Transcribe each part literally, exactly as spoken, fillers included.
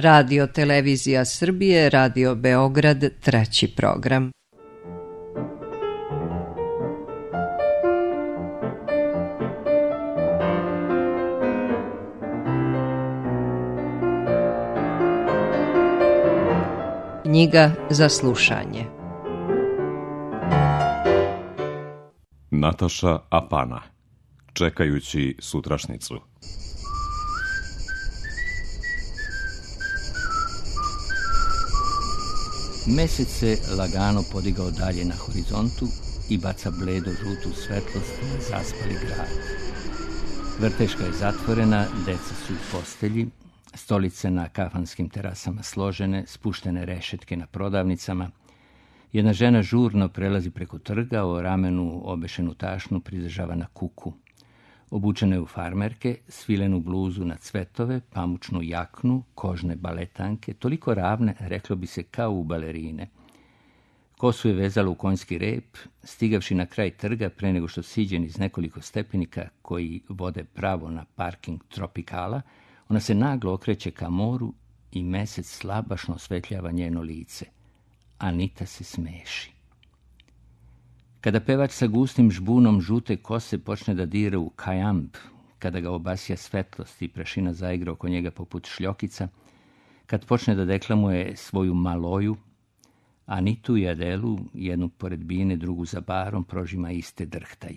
Radio Televizija Srbije, Radio Beograd, treći program. Knjiga za slušanje. Nataša Apana, Čekajući sutrašnicu. Mesec se lagano podigao dalje na horizontu i baca bledo žutu svetlost na zaspali grad. Vrteška je zatvorena, deca su u postelji, stolice na kafanskim terasama složene, spuštene rešetke na prodavnicama. Jedna žena žurno prelazi preko trga, o ramenu obešenu tašnu pridržava na kuku. Obučena je u farmerke, svilenu bluzu na cvetove, pamučnu jaknu, kožne baletanke, toliko ravne, reklo bi se, kao u balerine. Kosu je vezala u konjski rep, stigavši na kraj trga pre nego što siđe iz nekoliko stepenika koji vode pravo na parking Tropikala, ona se naglo okreće ka moru i mesec slabašno osvetljava njeno lice. Anita se smeši. Kada pevač sa gustim žbunom žute kose počne da dira u kajamb, kada ga obasja svetlost i prašina zaigra oko njega poput šljokica, kad počne da deklamuje svoju maloju, Anitu i Adelu, jednu pored bine, drugu za barom, prožima iste drhtaj.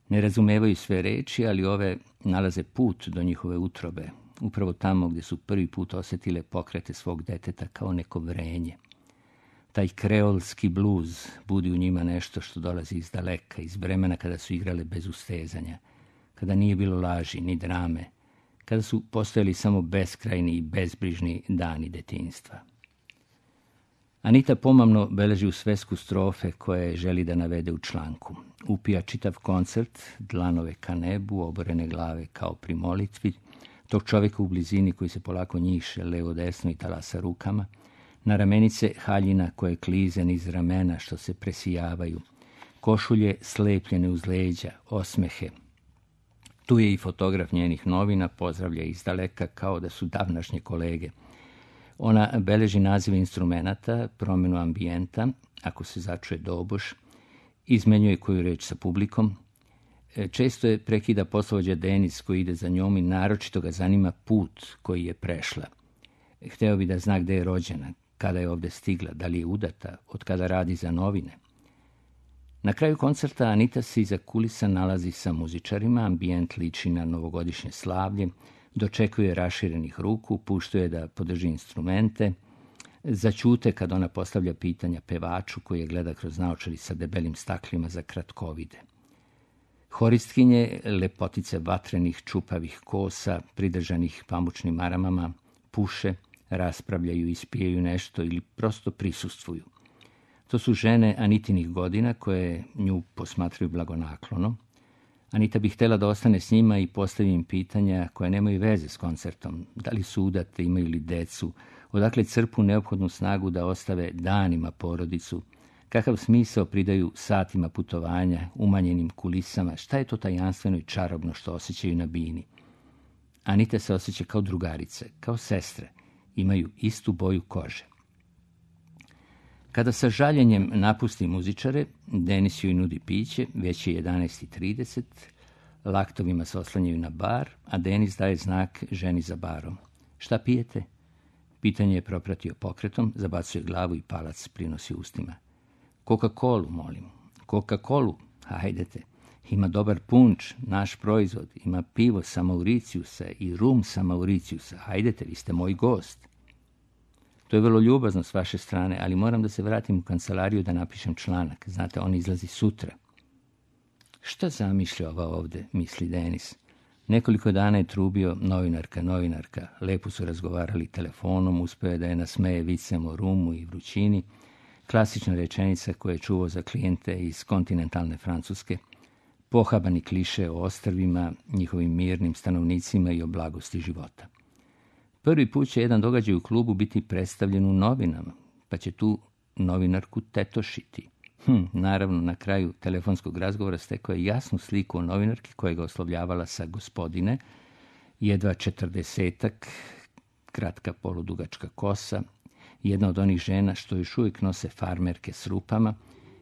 Ne razumevaju sve reči, ali ove nalaze put do njihove utrobe, upravo tamo gdje su prvi put osjetile pokrete svog deteta kao neko vrenje. Taj kreolski bluz budi u njima nešto što dolazi iz daleka, iz vremena kada su igrale bez ustezanja, kada nije bilo laži ni drame, kada su postojali samo beskrajni i bezbrižni dani detinjstva. Anita pomamno beleži u svesku strofe koje želi da navede u članku. Upija čitav koncert, dlanove ka nebu, oborene glave kao pri molitvi, tog čovjeka u blizini koji se polako njiše levo desno i talasa rukama, na ramenice haljina koje klize niz ramena što se presijavaju, košulje slepljene uz leđa, osmehe. Tu je i fotograf njenih novina, pozdravlja iz daleka kao da su davnašnje kolege. Ona beleži nazive instrumenata, promjenu ambijenta, ako se začuje doboš, izmenjuje koju reč sa publikom. Često je prekida poslovođa Denis koji ide za njom i naročito ga zanima put koji je prešla. Hteo bi da zna gde je rođena, kada je ovdje stigla, da li je udata, od kada radi za novine. Na kraju koncerta Anita se iza kulisa nalazi sa muzičarima, ambijent liči na novogodišnje slavlje, dočekuje raširenih ruku, puštuje da podrži instrumente, začute kad ona postavlja pitanja pevaču koji je gleda kroz naočari sa debelim staklima za kratkovide. Horistkinje, lepotice vatrenih čupavih kosa, pridržanih pamučnim maramama, puše, raspravljaju, ispijaju nešto ili prosto prisustvuju. To su žene Anitinih godina koje nju posmatraju blagonaklono. Anita bi htjela da ostane s njima i postavi im pitanja koje nemaju veze s koncertom. Da li su udate, imaju li decu, odakle crpu neophodnu snagu da ostave danima porodicu, kakav smisao pridaju satima putovanja, umanjenim kulisama, šta je to tajanstveno i čarobno što osjećaju na bini. Anita se osjeća kao drugarice, kao sestre, imaju istu boju kože. Kada sa žaljenjem napusti muzičare, Denis joj nudi piće, već je jedanaest i trideset, laktovima se oslanjaju na bar, a Denis daje znak ženi za barom. Šta pijete? Pitanje je propratio pokretom, zabacuje glavu i palac prinosi ustima. Coca-Colu, molim. Coca-Colu, hajdete. Ima dobar punč, naš proizvod, ima pivo sa Mauriciusa i rum sa Mauriciusa. Hajdete, vi ste moj gost. To je vrlo ljubazno s vaše strane, ali moram da se vratim u kancelariju da napišem članak. Znate, on izlazi sutra. Šta zamišlja ova ovde, misli Denis. Nekoliko dana je trubio novinarka, novinarka. Lepo su razgovarali telefonom, uspeo je da je nasmeje vicem o rumu i vrućini. Klasična rečenica koja je čuvao za klijente iz kontinentalne Francuske. Pohabani kliše o ostrvima, njihovim mirnim stanovnicima i o blagosti života. Prvi put će jedan događaj u klubu biti predstavljen u novinama, pa će tu novinarku tetošiti. Hm, naravno, na kraju telefonskog razgovora stekao je jasnu sliku o novinarki koja ga oslovljavala sa gospodine, jedva četrdesetak, kratka poludugačka kosa, jedna od onih žena što još uvijek nose farmerke s rupama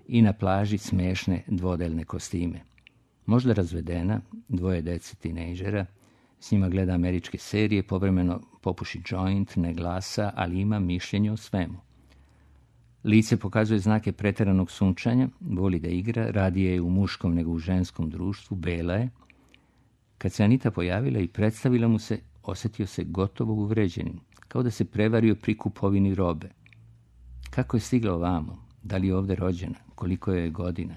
i na plaži smešne dvodelne kostime. Možda razvedena, dvoje dece tinejdžera, s njima gleda američke serije, povremeno popuši joint, ne glasa, ali ima mišljenje o svemu. Lice pokazuje znake pretjeranog sunčanja, voli da igra, radije je u muškom nego u ženskom društvu, bela je. Kad se Anita pojavila i predstavila mu se, osjetio se gotovo uvređenim, kao da se prevario pri kupovini robe. Kako je stigla ovamo? Da li je ovdje rođena? Koliko je godina?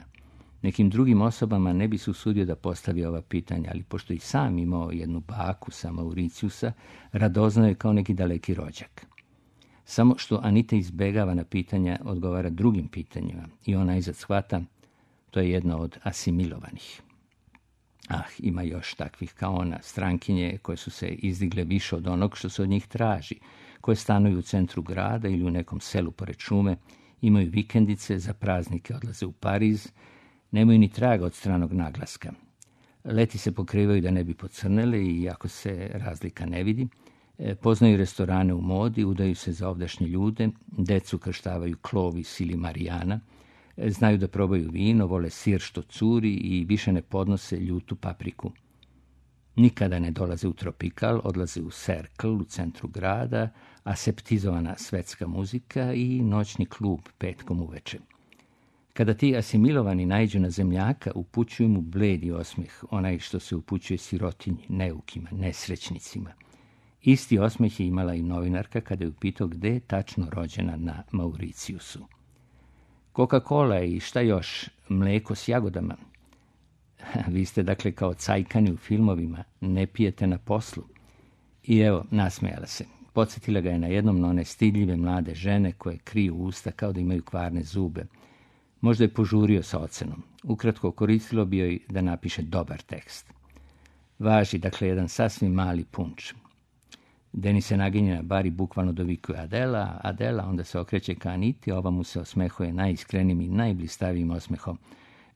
Nekim drugim osobama ne bi se usudio da postavi ova pitanja, ali pošto i sam imao jednu baku sa Mauriciusa, radoznao je kao neki daleki rođak. Samo što Anita izbegava na pitanja, odgovara drugim pitanjima i ona izad shvata, to je jedna od asimilovanih. Ah, ima još takvih kao ona, strankinje koje su se izdigle više od onog što se od njih traži, koje stanuju u centru grada ili u nekom selu pored šume, imaju vikendice, za praznike odlaze u Pariz, nemaju ni traga od stranog naglaska. Leti se pokrivaju da ne bi pocrnele i ako se razlika ne vidi, poznaju restorane u modi, udaju se za ovdašnje ljude, decu krštavaju Clovis ili Marijana, znaju da probaju vino, vole sir što curi i više ne podnose ljutu papriku. Nikada ne dolaze u Tropikal, odlaze u Cercle u centru grada, aseptizovana svetska muzika i noćni klub petkom uveče. Kada ti asimilovani naiđu na zemljaka, upućuju mu bledi osmeh, onaj što se upućuje sirotinji, neukima, nesrećnicima. Isti osmeh je imala i novinarka kada je upitao gde je tačno rođena na Mauriciusu. Coca-Cola i šta još, mleko s jagodama. Vi ste dakle kao cajkani u filmovima, ne pijete na poslu. I evo, nasmejala se. Podsjetila ga je na jednom na one stidljive mlade žene koje kriju usta kao da imaju kvarne zube. Možda je požurio sa ocenom. Ukratko, koristilo bi joj da napiše dobar tekst. Važi, dakle, jedan sasvim mali punč. Denis se naginje na bar i bukvalno dovikuje Adela, Adela, onda se okreće ka Aniti, ova mu se osmehuje najiskrenijim i najblistavijim osmehom.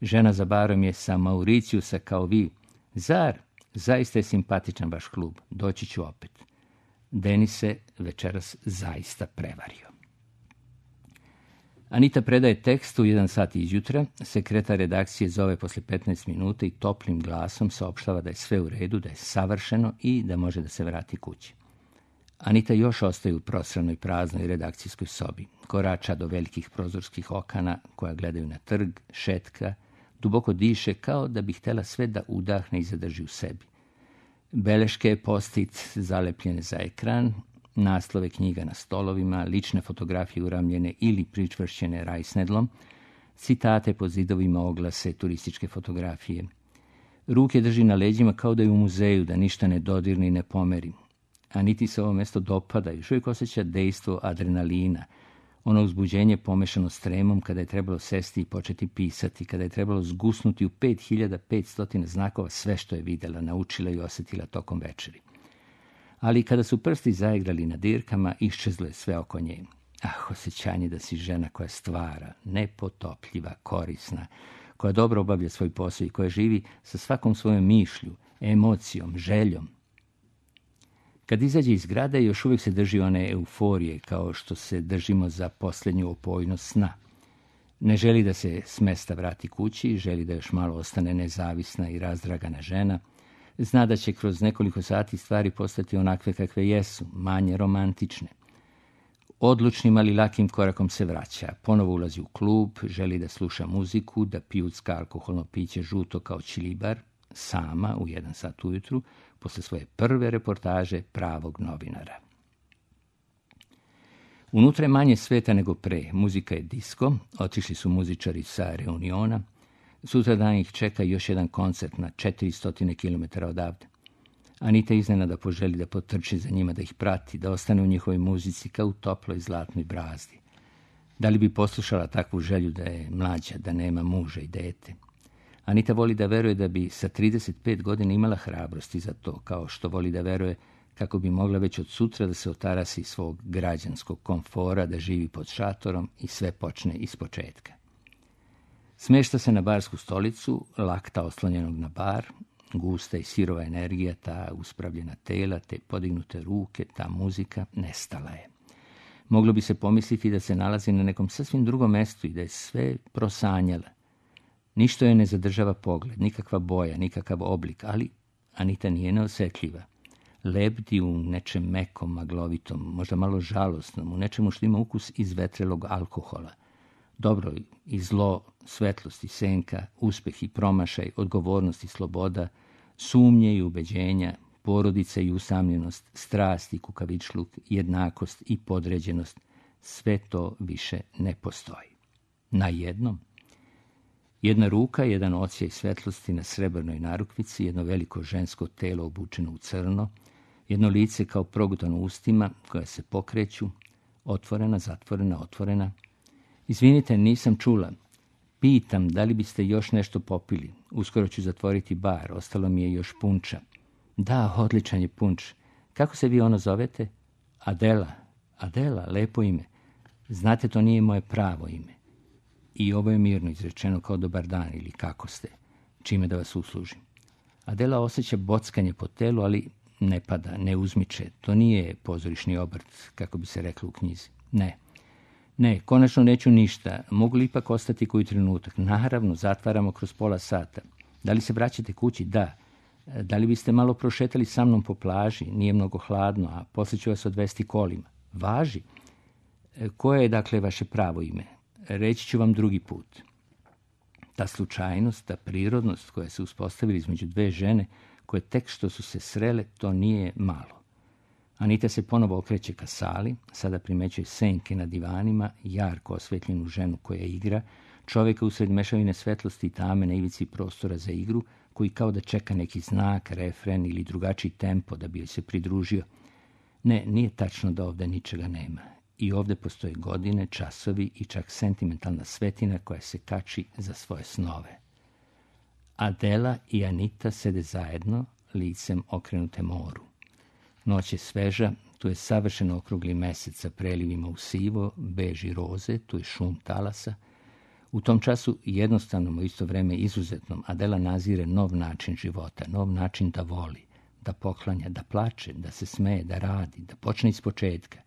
Žena za barom je sa Mauriciusa kao vi. Zar? Zaista je simpatičan vaš klub. Doći ću opet. Denis se večeras zaista prevario. Anita predaje tekst u jedan sat izjutra, sekretar redakcije zove posle petnaest minuta i toplim glasom saopštava da je sve u redu, da je savršeno i da može da se vrati kući. Anita još ostaje u prosranoj praznoj redakcijskoj sobi, korača do velikih prozorskih okana koja gledaju na trg, šetka, duboko diše kao da bi htjela sve da udahne i zadrži u sebi. Beleške, post-it zalepljene za ekran, naslove knjiga na stolovima, lične fotografije uramljene ili pričvršćene rajsnedlom, citate po zidovima, oglase, turističke fotografije. Ruke drži na leđima kao da je u muzeju, da ništa ne dodirne i ne pomeri. Aniti se ovo mjesto dopada, još uvijek osjeća dejstvo adrenalina, ono uzbuđenje pomešano s tremom kada je trebalo sesti i početi pisati, kada je trebalo zgusnuti u pet hiljada petsto znakova sve što je vidjela, naučila i osjetila tokom večeri. Ali kada su prsti zaigrali na dirkama, iščezlo je sve oko nje. Ah, osjećanje da si žena koja stvara, nepotopljiva, korisna, koja dobro obavlja svoj posao i koja živi sa svakom svojom mišlju, emocijom, željom. Kad izađe iz grada, još uvijek se drži one euforije, kao što se držimo za posljednju opojnost sna. Ne želi da se s mesta vrati kući, želi da još malo ostane nezavisna i razdragana žena. Zna da će kroz nekoliko sati stvari postati onakve kakve jesu, manje romantične. Odlučnim, ali lakim korakom se vraća. Ponovo ulazi u klub, želi da sluša muziku, da pijucka alkoholno piće žuto kao čilibar, sama u jedan sat ujutru, posle svoje prve reportaže pravog novinara. Unutra je manje sveta nego pre. Muzika je disko, otišli su muzičari sa reuniona. Sutra dan ih čeka još jedan koncert na četiristo kilometara odavde. Anita iznenada poželi da potrči za njima, da ih prati, da ostane u njihovoj muzici kao u toploj zlatnoj brazdi. Da li bi poslušala takvu želju da je mlađa, da nema muža i dete? Anita voli da veruje da bi sa trideset pet godina imala hrabrosti za to, kao što voli da veruje kako bi mogla već od sutra da se otarasi svog građanskog komfora, da živi pod šatorom i sve počne ispočetka. Smešta se na barsku stolicu, lakta oslonjenog na bar, gusta i sirova energija, ta uspravljena tela, te podignute ruke, ta muzika, nestala je. Moglo bi se pomisliti da se nalazi na nekom sasvim drugom mestu i da je sve prosanjala. Ništa joj ne zadržava pogled, nikakva boja, nikakav oblik, ali Anita nije neosjetljiva. Lebdi u nečem mekom, maglovitom, možda malo žalosnom, u nečemu što ima ukus izvetrelog alkohola. Dobro i zlo, svetlost i senka, uspeh i promašaj, odgovornost i sloboda, sumnje i ubeđenja, porodica i usamljenost, strast i kukavičluk, jednakost i podređenost, sve to više ne postoji. Na jednom. Jedna ruka, jedan odsjaj svetlosti na srebrnoj narukvici, jedno veliko žensko telo obučeno u crno, jedno lice kao progutano ustima koja se pokreću, otvorena, zatvorena, otvorena. Izvinite, nisam čula. Pitam, da li biste još nešto popili? Uskoro ću zatvoriti bar, ostalo mi je još punča. Da, odličan je punč. Kako se vi ono zovete? Adela. Adela, lepo ime. Znate, to nije moje pravo ime. I ovo je mirno izrečeno kao dobar dan ili kako ste, čime da vas uslužim. Adela osjeća bockanje po telu, ali ne pada, ne uzmiče. To nije pozorišni obrt, kako bi se reklo u knjizi. Ne. Ne, konačno neću ništa. Mogu li ipak ostati koji trenutak? Naravno, zatvaramo kroz pola sata. Da li se vraćate kući? Da. Da li biste malo prošetali sa mnom po plaži? Nije mnogo hladno, a poslije ću vas odvesti kolima. Važi. Koje je, dakle, vaše pravo ime? Reći ću vam drugi put. Ta slučajnost, ta prirodnost koja se uspostavila između dve žene, koje tek što su se srele, to nije malo. Anita se ponovo okreće ka sali, sada primećuje senke na divanima, jarko osvetljenu ženu koja igra, čovjeka usred mešavine svetlosti i tame na ivici prostora za igru, koji kao da čeka neki znak, refren ili drugačiji tempo da bi joj se pridružio. Ne, nije tačno da ovdje ničega nema. I ovdje postoje godine, časovi i čak sentimentalna svetina koja se kači za svoje snove. Adela i Anita sede zajedno, licem okrenute moru. Noć je sveža, tu je savršeno okrugli mesec sa prelivima u sivo, beži roze, tu je šum talasa. U tom času jednostavnom, u isto vreme izuzetnom, Adela nazire nov način života, nov način da voli, da poklanja, da plače, da se smeje, da radi, da počne iz početka.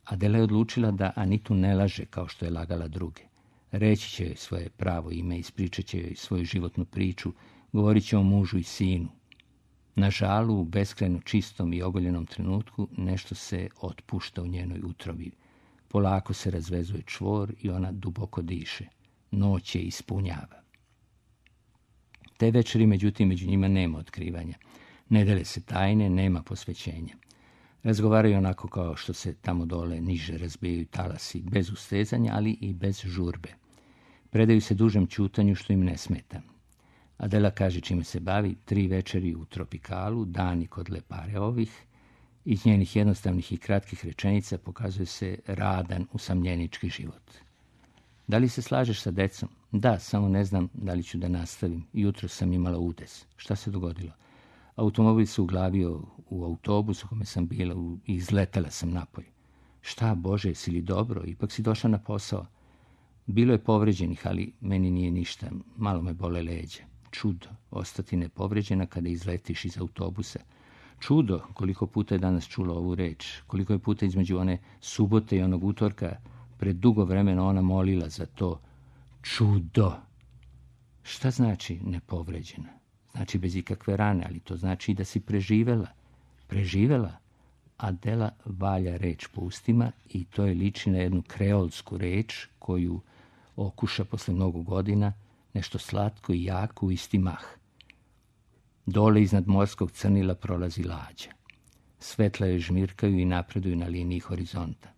Adela je odlučila da Anitu ne laže kao što je lagala druge. Reći će joj svoje pravo ime, ispričat će joj svoju životnu priču, govorit će o mužu i sinu. Na žalu, u beskrajno čistom i ogoljenom trenutku, nešto se otpušta u njenoj utrobi. Polako se razvezuje čvor i ona duboko diše. Noć je ispunjava. Te večeri, međutim, među njima nema otkrivanja. Ne dele se tajne, nema posvećenja. Razgovaraju onako kao što se tamo dole niže razbijaju talasi, bez ustezanja, ali i bez žurbe. Predaju se dužem ćutanju što im ne smeta. Adela kaže čime se bavi, tri večeri u tropikalu, dani kod lepare ovih. Iz njenih jednostavnih i kratkih rečenica pokazuje se radan, usamljenički život. Da li se slažeš sa decom? Da, samo ne znam da li ću da nastavim. Jutro sam imala udes. Šta se dogodilo? Automobil se uglavio u autobus u kome sam bila i izletela sam napolje. Šta, Bože, jesi li dobro? Ipak si došla na posao. Bilo je povređenih, ali meni nije ništa. Malo me bole leđa. Čudo, ostati nepovređena kada izletiš iz autobusa. Čudo, koliko puta je danas čula ovu reč. Koliko je puta između one subote i onog utorka pred dugo vremena ona molila za to. Čudo. Šta znači nepovređena? Znači bez ikakve rane, ali to znači da si preživela. Preživela? Adela valja reč po ustima i to je liči na jednu kreolsku reč koju okuša posle mnogo godina, nešto slatko i jako u isti mah. Dole iznad morskog crnila prolazi lađa. Svetla je žmirkaju i napreduju na liniji horizonta.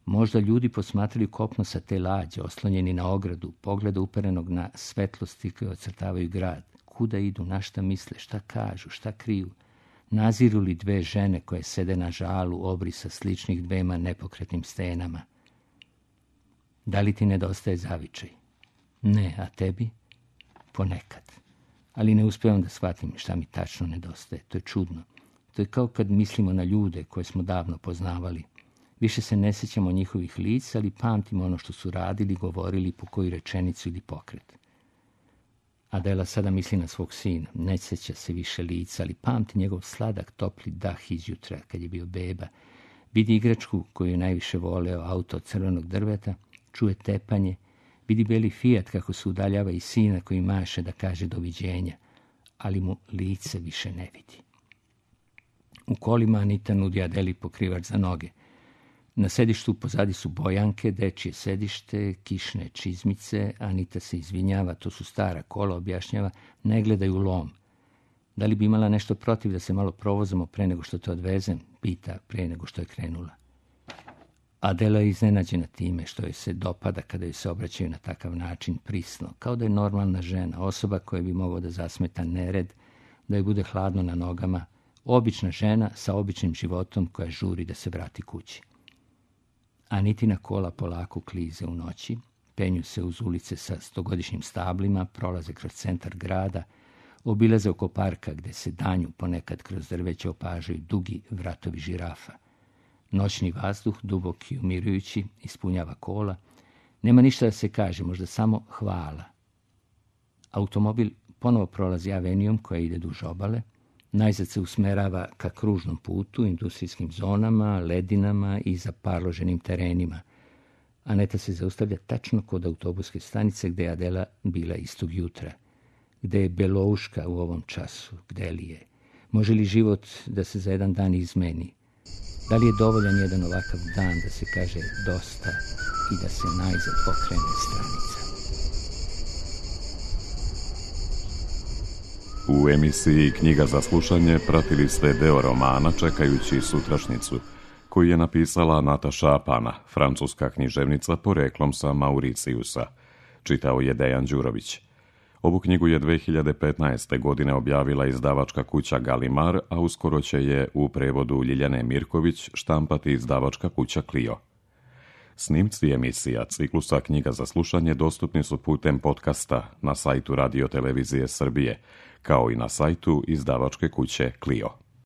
Možda ljudi posmatraju kopno sa te lađe, oslonjeni na ogradu, pogleda uperenog na svetlosti koje ocrtavaju grad. Kuda idu, na šta misle, šta kažu, šta kriju? Naziru li dve žene koje sede na žalu obrisa sličnih dvema nepokretnim stenama? Da li ti nedostaje zavičaj? Ne, a tebi? Ponekad. Ali ne uspijevam da shvatim šta mi tačno nedostaje. To je čudno. To je kao kad mislimo na ljude koje smo davno poznavali. Više se ne sjećamo njihovih lica, ali pamtimo ono što su radili, govorili, po koju rečenicu ili pokret. Adela sada misli na svog sina, ne sjeća se više lica, ali pamti njegov sladak, topli dah iz jutra, kad je bio beba. Vidi igračku koju je najviše voleo, auto od crvenog drveta, čuje tepanje, vidi beli Fiat kako se udaljava i sina koji maše da kaže doviđenja, ali mu lice više ne vidi. U kolima Anita nudi Adeli pokrivač za noge. Na sedištu pozadi su bojanke, dečje sedište, kišne čizmice. Anita se izvinjava, to su stara kola, objašnjava, ne gledaju lom. Da li bi imala nešto protiv da se malo provozamo pre nego što te odvezem? Pita pre nego što je krenula. Adela je iznenađena time što joj se dopada kada joj se obraćaju na takav način prisno, kao da je normalna žena, osoba koja bi mogla da zasmeta nered, da joj bude hladno na nogama, obična žena sa običnim životom koja žuri da se vrati kući. Anitina kola polako klize u noći, penju se uz ulice sa stogodišnjim stablima, prolaze kroz centar grada, obilaze oko parka gde se danju ponekad kroz drveće opažaju dugi vratovi žirafa. Noćni vazduh, dubok i umirujući, ispunjava kola. Nema ništa da se kaže, možda samo hvala. Automobil ponovo prolazi avenijom koja ide duž obale, najzad se usmerava ka kružnom putu, industrijskim zonama, ledinama i zaparloženim terenima. Aneta se zaustavlja tačno kod autobuske stanice gde je Adela bila istog jutra. Gde je Belouška u ovom času? Gde li je? Može li život da se za jedan dan izmeni? Da li je dovoljan jedan ovakav dan da se kaže dosta i da se najzad okrene stranica? U emisiji Knjiga za slušanje pratili ste deo romana Čekajući sutrašnjicu, koji je napisala Nataša Apana, francuska književnica poreklom sa Mauricijusa. Čitao je Dejan Đurović. Ovu knjigu je dve hiljade petnaeste. godine objavila izdavačka kuća Galimar, a uskoro će je u prevodu Ljiljane Mirković štampati izdavačka kuća Clio. Snimci emisija ciklusa Knjiga za slušanje dostupni su putem podcasta na sajtu Radio Televizije Srbije, kao i na sajtu izdavačke kuće Clio.